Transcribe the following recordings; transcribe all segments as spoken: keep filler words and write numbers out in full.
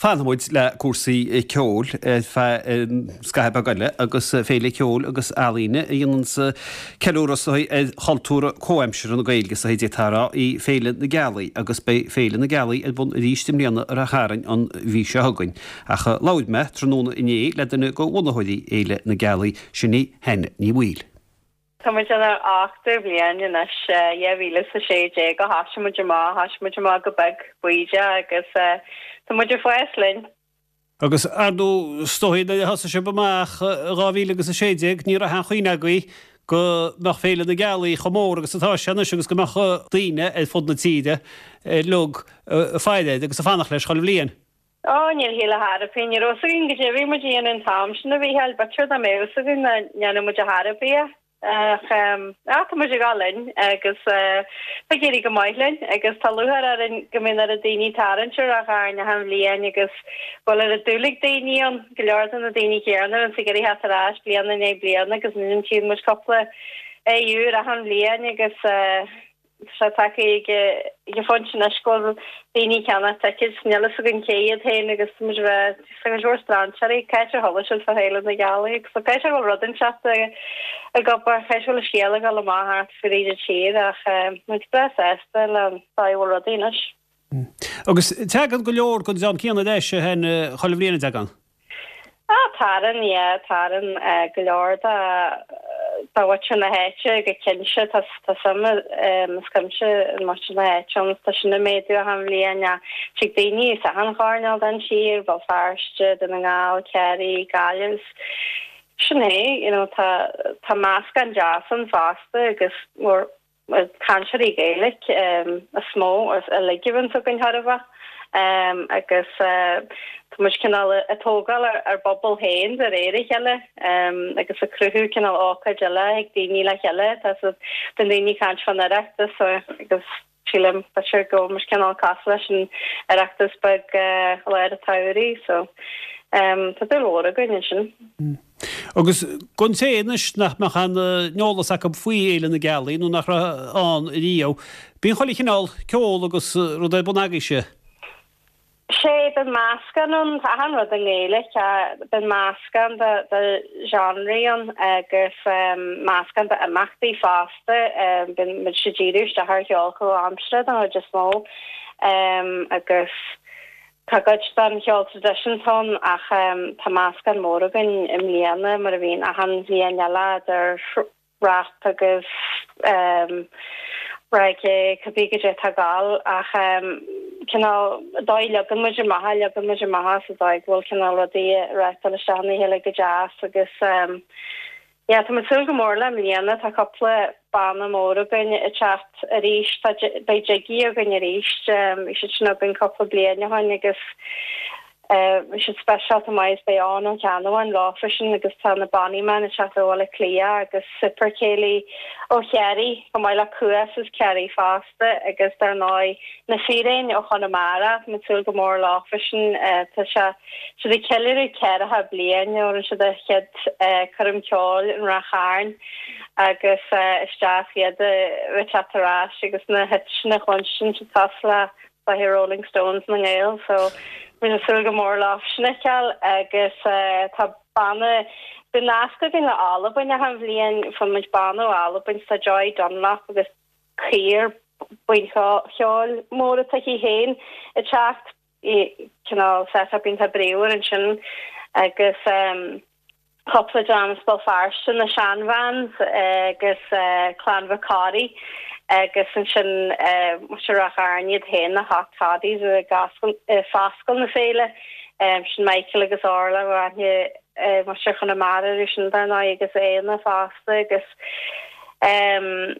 Fanfaidh muid le cúrsaí ceoil ar feadh scaitheamh beag eile agus Féile Ceoil agus Ealaíne a dhéananns ceiliúradh ar chultúr comhaimseartha na Gaeilge sa d'fhéadfá a rá í Féile na Gealaí agus beidh Féile na Gealaí ar bun arís i mbliana ar Ráth Chairn an mhí seo chugainn. Ach labhair mé tráthnóna inné le duine de bhunaitheoirí Fhéile na Gealaí sin í Hannah Ní Bhaoill. Tá muid inár ochtú bliain anois dhá mhíle is a sé déag a thosaigh muid amach thosaigh muid amach go beag bídeach agus tá muid ag fás linn. Agus ar ndóigh is dóigh nuair a thosaigh sibh amach dhá mhíle agus a sé déag ní raibh aon chuimhne agaibh go mbeadh Féile na Gealaí chomh mór agus atá sé anois agus go mbeadh daoine ar fud na tíre uilig ag faire air agus ag fanacht leis chuile bhliain. Ó níl shíl a tharapí, ní raibh againn go dtí muid an an t-am sin a bhí b'fhéidir dá mbeadh a fhios againn nach ndéanfadh muid a tharapí. Ach tá muid ag dul linn agus tá ag éirí go maith linn agus tá lúcháir orainn go mbíonn ar daoine tarraingt ar Ráth Chairn achan bhliain agus bhfuil ar a dúlaigh daoine ann go leor de na daoine céanna an ag iarraidh teacht ar ais bliain i ndiaidh bliana agus tchíonn muid cúpla aghaidh úr achan bhliain agus sé tagtha ag ag phointe anois go bhfuil daoine ag ceannach tickets níl a fhios againn cé hiad féin agus muid bheith go leor strainséirí caithfidh chuala siad fá Fhéile na Gealaí agus so caithfidh bhfuil rud inteacht ag obair caithfidh bhfuil scéal ag dul amach thart fríd an tír ach muid breá sásta le dóigh bhfuil rudaí anois. Agus teagann go leor den dream céanna leis hen chuile bhliain teagann. Ah tarann yeah tarann go leor de de mhuintir na háite go cinnte tá tá suim is cuimse an muintir na háite ann tá sin ag méadú achan bhliain tig daoine as achan chearnóg den tír Béal Feirste Dún na nGall Ciarraí Gaillimh sin é you know tá tá meascán deas ann fosta agus mór cainteoirí Gaeilge um, is mó uilig a bhíonn againn thairbhe um, agus uh, tá muid cineál ag tógáil ar, ar bpobal féin de réir a chéile um, agus ag cruthú cineál ócáid eile ag daoine le chéile tá den daoine caint fan Oireachtas agus sílim b'fhéidir go muid cineál cosúil leis an Oireachtas beag uh, lár an tsamhraidh so um, tá dúil mhór againn ansin. Mm. Agus don té anois nach mbeadh aon eolas acu faoi Fhéile na Gealaí nó nach raibh ann riamh. Bíonn chuile chineál ceol agus rud ar bun agaibhse. Sé bíonn meascán ann achan rud i nGaeilge bíonn meascán de de genre ann agus um, meascán de imeachtaí fosta um, bíonn muid ag díriú isteach ar cheol comhaimseartha den chuid is mó um, agus tá cuid den cheol traidisiúnta ann ach um, tá meascán mór againn i mbliana mar a bhíonn achan bhliain eile idir rap agus um, reggae cibé cad tá gal ach um, cineál dóigh leagann muid amach leagann muid amach sa dóigh bhfuil cineál rudaí reáchtáil isteach ina chéile go deas agus um, yeah, tá mé súil go mór le mbliana tá cúpla banna mór againn ag teacht arís tá beidh Jiggy againn arís um, bhí siad sin againn cúpla bliain ó shin agus bhí siad speisialta maith beidh Eoghan Ó Ceannabháin lá freisin agus tá na Bonnyman ag teacht ó Bhaile Átha Cliath agus Super Céilí ó Chiarraí go maith le Cuas is Ciarraí fosta agus dar ndóigh na Fíréin ó Chonamara tá súil go mór lá freisin tá sé siad ag ceiliúradh ceathracha bliain ó siad a chéad choirm ceoil in Ráth Chairn agus isteach iad a teacht ar ais agus na hit na chluinstin cosúil le the Rolling Stones na nGael so Bhí súil go mór lá sinneáil agus uh, tá banna bíonn nasc againn le Albain achan bhliain faigheann muid banna ó Albain tá Joy Dunlop agus cliar buíon cheoil mór aici féin ag teacht cineál setup iontach bríomhar ansin agus um, cúpla dream as Béal Feirste na Seanvans agus uh, Clann Mhic Corraidh agus ansin Ráth Chairn iad féin na Hot Toddies ag oscailt na féile um, sin Michael agus Orla aithne mar se chuna mar sin dar ná agus éana fosta agus um,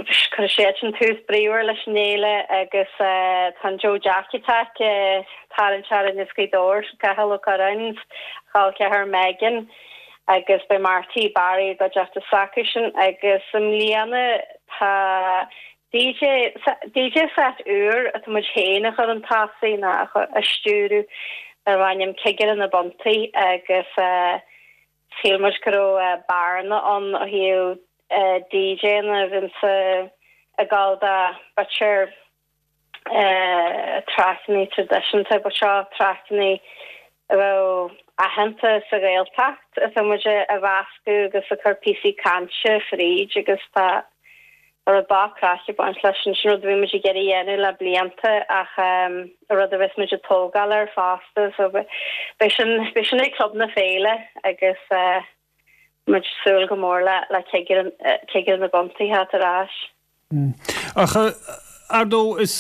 chu sé sin tús bríomhar leis an fhéile agus uh, tá Joe Jack Attack uh, tarraingt is Gaoth Cathal Ó Curráin chol ceathar Megan agus be Marty Barry go deachta sacusin agus i mbliana tá DJ DJ set úr atá muid féin a chur chun tosaigh na a stiúradh ar bhain cigir na buntaí agus uh, shíl muid go raibh uh, bearna ann ó thaobh uh, DJ na bhíonn ag gabháil do b'fhéidir Traiceanna traidisiúnta, but seo traiceanna a bheadh aitheanta sa Ghaeltacht atá muid a mheascadh agus a chur píosaí cainte fríd agus tá rud breá craic ag baint leis sin sin rud a bhí muid ag iarraidh a dhéanamh le blianta ach rud a bheas muid ag tógáil air fosta so beidh sin beidh sin ag Club na Féile agus muid ag súil go mór le le cigire cigire na gcontaetha a theacht ar ais. Ach ar ndóigh is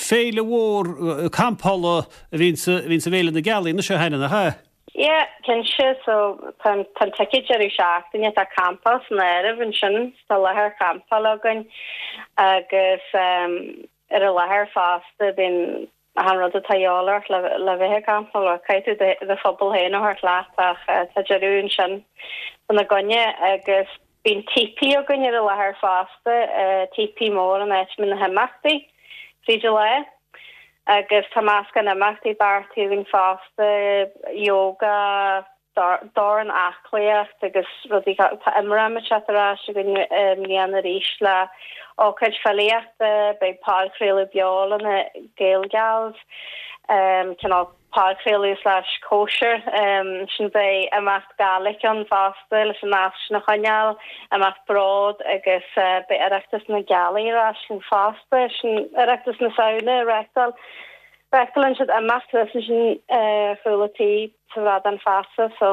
féile mhór campála a bhíonn sa bhFéile na Gealaí anois a Hannah, nach ea? Yeah, cinnte, so tá an ticéad deireadh seachtaine, tá campáil san áireamh ansin, tá láthair campála againn agus ar an láthair fosta bíonn achan rud atá de dhíobháil ort le le bheith ag campáil, caithfidh tú do phuball féin a thabhairt leat ach tá deireadh ansin fána gcoinne agus Bíonn típí againn ar an láthair fosta, típí mór an áit a mbíonn na himeachtaí fríd an lá. Agus tá meascán imeachtaí beartaithe againn fosta, yoga, dorn aclaíocht agus rudaí, tá Imram ag teacht ar ais againn i mbliana arís le ócáid filíochta, beidh podchraoladh beo le na Gaelgals, cineál podchraoladh slash cóisir. Ansin beidh imeacht Gaelic ann fosta leis an nasc sin a choinneáil, imeacht bród agus beidh Oireachtas na Gealaí ar ais linn fosta, sin Oireachtas na Samhna a reáchtáil. Reáchtálann siad imeacht thuas ansin ar chúl an tí sa Bhradán Feasa so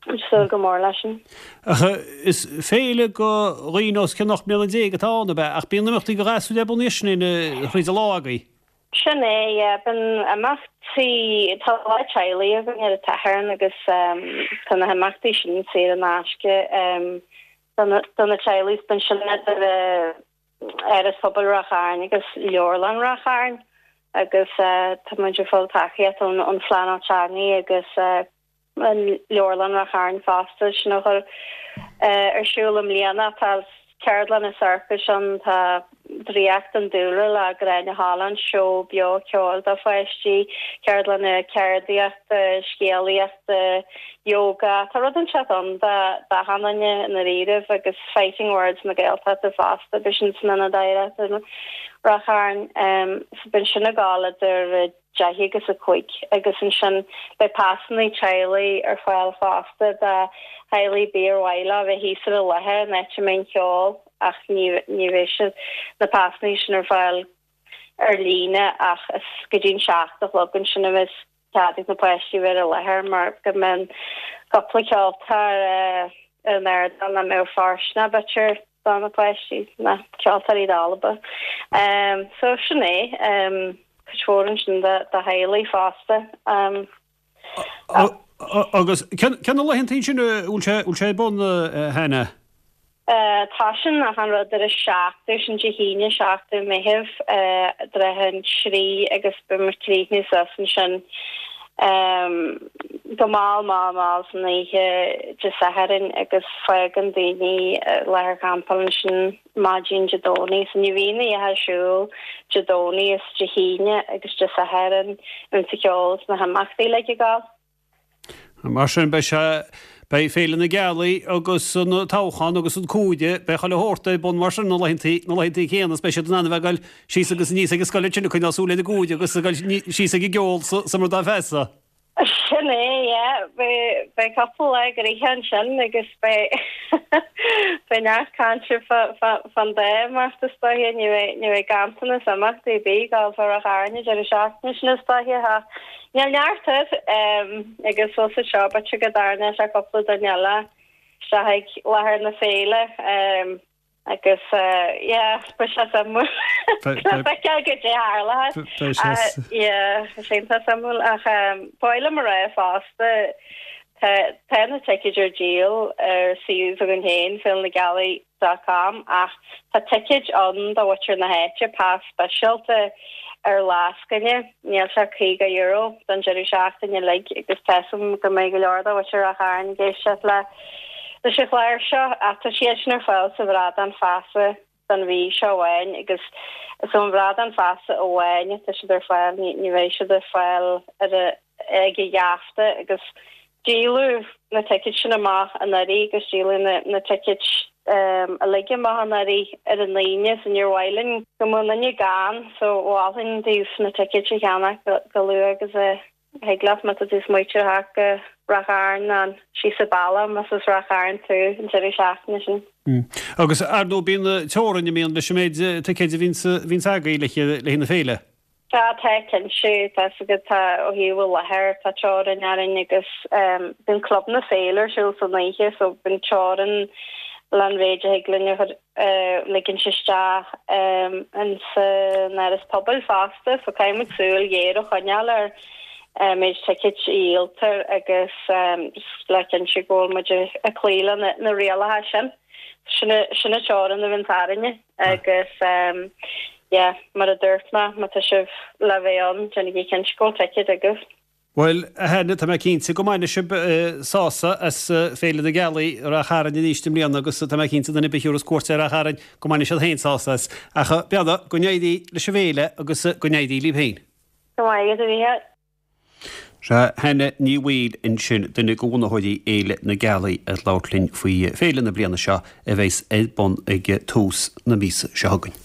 ag súil go mór leis sin. Ach is féile do dhaoine os cionn ocht mbliana déag atá ann, ab ea? Ach bíonn imeachtaí do ghasúir ar bun ansin thríd an lá agaibh. Sin é, yeah. Bíonn imeachtaí, tá lá teaghlaigh againn ar an tSatharn agus tá na himeachtaí sin saor in aisce do na teaghlaigh. Bíonn sin idir Áras Pobail Ráth Chairn agus Leabharlann Ráth Chairn agus tá muid ag fáil tacaíocht ón Phleanáil Teanga agus Leabharlann Ráth Chairn fosta sin a chur ar siúl i mbliana. Tá ceardlanna sorcais ann, tá Draíocht an Dúlra le Gráinne Holland, seó beo ceoil do pháistí, ceardlanna ceardaíochta, scéalaíochta, yoga, tá rud inteacht ann d'achan duine i ndáiríribh agus Fighting Words na Gaeltachta fosta, beidh sin san Ionad Oidhreachta i Ráth Chairn. So bíonn sin ag gabháil idir deich agus a cúig agus ansin beidh pasanna teaghlaigh ar fáil fosta do theaghlaigh ar bith ar mhaith leo a bheith thíos ar an láthair an áit a mbeidh an ceol ach ní ní bheidh siad na pasanna sin ar fáil ar líne ach is go dtí an seacht a chlog ansin a bheas cead ag na páistí bheith ar an láthair mar go mbeidh cúpla ceoltóir ar an ardán nach mbeadh fóirsteanach b'fhéidir do na páistí, na ceoltóirí dalba. So sin é. Cuid mhór ansin do theaghlaigh fosta. Agus cé na laethanta sin a bhfuil sé ar bun, a Hannah? Tá sin achan rud ar a seachtú, sin Dé hAoine seachtú Meitheamh, i dtrátha an trí agus beidh muid ag críochnú suas ansin go mall mall mall san oíche Dé Sathairn agus fágann daoine láthair campála ansin maidin Dé Domhnaigh. So ní bhíonn a dhath ar siúl Dé Domhnaigh is Dé hAoine agus Dé Sathairn an ceol is na himeachtaí uilig ag gabháil. Mar sin beidh sé, beidh Féile na Gealaí agus an toghchán agus an Cúige, beidh chuile shórt ar bun mar sin na laethanta, na laethanta céanna is beidh siad in ann a bheith ag dul síos agus aníos ag an scoil ansin ag coinneáil súil ar an gCúige agus ag dul síos ag an gceol sa mBradán Feasa. Sin é, yeah. Beidh, beidh cúpla lá gnoitheach ansin agus beidh, beidh neart cainte fán dá imeacht is dóiche. Ní bheidh, ní bheidh ganntanas imeachtaí ar bith ag gabháil fá Ráth Chairn an deireadh seachtaine sin is dóiche ach níl neart air agus fós seo b'fhéidir go dtarraingeoidh sé cúpla duine eile isteach ag láthair na féile. Agus yeah, beidh sé suimiúil. Le feiceáil goidé a tharlóidh. Yeah, tá sé iontach suimiúil ach ba mhaith liom a rá fosta tá tá na ticéid ar díol ar suíomh s'againn féin, féile na gealaí dot com ach tá ticéid ann do mhuintir na háite, pas speisialta ar lascaine, níl sé caoga euro don deireadh seachtaine uilig agus tá 'fhios a'm go mbeidh go leor de mhuintir Ráth Chairn ag éisteacht le leis an chlár seo ach tá siad sin ar fáil sa Bhradán Feasa don mhí seo amháin agus is ón Bhradán Feasa amháin atá siad ar fáil, ní bheidh siad ar fáil ar a ag an gheafta agus díoladh na ticéid sin amach anuraidh agus díoladh na na ticéid uilig amach anuraidh ar an Aoine so níor mhaith linn go mbeadh aon duine gann so mholfainn daoibh na ticéid a cheannach go luath agus a thig leat má tá tú ag smaoitiú ar theacht go Ráth Chairn nó síos an bealach más as Ráth Chairn tú an deireadh seachtaine sin. Agus ar ndóigh bíonn teorainn an mbíonn leis an méid ticéid a bhíonns agaibh le haghaidh na féile. Tá tá cinnte tá agat tá ó thaobh láthair tá teorainn orainn agus bíonn club na féile ar siúl san oíche so bíonn teorainn leis an mhéid a thig linn a chur ligint isteach in san áras pobail fosta so caithfidh muid súil ghéar a choinneáil ar méid ticéid a dhíoltar agus le cinntiú go bhfuil muid ag cloí le na rialacha sin. Sin sin an teorainn a bhíonn orainne agus yeah, mar a dúirt mé má tá sibh le bheith ann déanaigí cinnte go bhfuil ticéad agaibh. Bhuel a tá mé cinnte go mbainfidh sibh sásamh as Féile na Gealaí Ráth Chairn arís i mbliana agus tá mé cinnte duine ar bith a thabharfas cuairt ar Ráth Chairn go mbainfidh siad féin sásamh as. Ach beannacht go n-éirí leis an bhféile agus go n-éirí libh féin. Go maith a bhí Sé Hannah Ní Bhaoill ansin duine de bhunaitheoirí Fhéile na Gealaí ag labhairt linn faoi féile na bliana seo a bheas ar bun ag tús na míosa seo chugainn.